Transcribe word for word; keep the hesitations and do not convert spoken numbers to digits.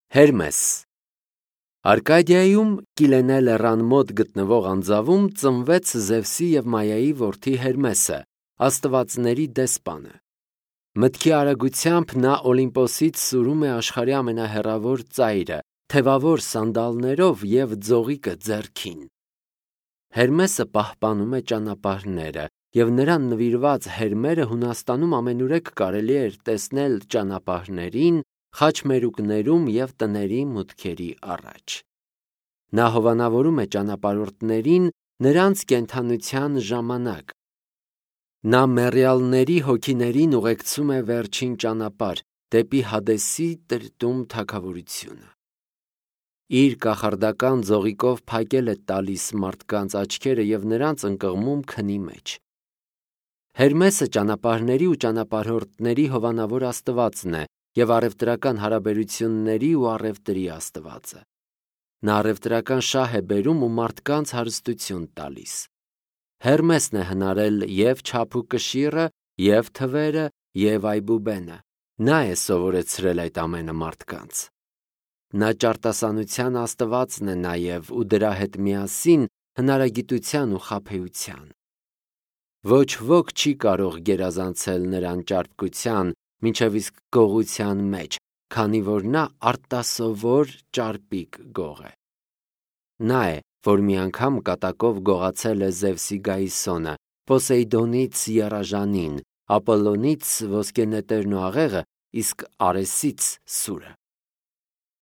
Հերմես Արկադիայում Կիլենե լեռան մոտ գտնվող անձավում ծնվեց Զևսի և Մայայի որդի Հերմեսը, աստվածների դեսպանը։ Մտքի արագությամբ նա Օլիմպոսից սուրում է աշխարհի ամենահեռավոր ծայրը, թևավոր սանդալներով և ձողիկը ձեռքին։ Հերմեսը պահպանում է ճանապարհները, և նրան նվիրված հերմերը Հունաստանում ամենուրեք կարելի էր տեսնել ճանապարհներին, խաչմերուկներում և տների մուտքերի առաջ։ Նա հովանավորում է ճանապարհորդներին նրանց կենդանության ժամանակ։ Նա մեռյալների հոգիներին ուղեկցում է վերջին ճանապարհ, դեպի Հադեսի տրտում թագավորությունը։ Իր կախարդական ձողիկով փակել է տալիս մարդկանց աչքերը և նրանց ընկղմում քնի մեջ։ Հերմեսը ճանապարհների ու ճանապարհորդների հովանավոր աստվածն է և առևտրական հարաբերությունների ու առևտրի աստվածը։ Նա առևտրական շահ է բերում ու մարդկանց հարստություն տալիս։ Հերմեսն է հնարել և չափուկշիռը, և թվերը, և այբուբենը։ Նա է սովորեցրել այդ ամենը մարդկանց։ Նա ճարտասանության աստվածն է նաև ու դրա հետ միասին հնարագիտության ու խաբեության։ Ոչ ոք չի կարող գերազանցել նրան ճարպկության, մինչև իսկ գողության մեջ, քանի որ նա արտասովոր ճարպիկ գող է։ Նա է, որ մի անգամ կատակով գողացել է Զևսի Գայիսոնը, Պոսեյդոնից եռաժանին, Ապոլլոնից ոսկենետերն ու աղեղը, իսկ Արեսից սուրը։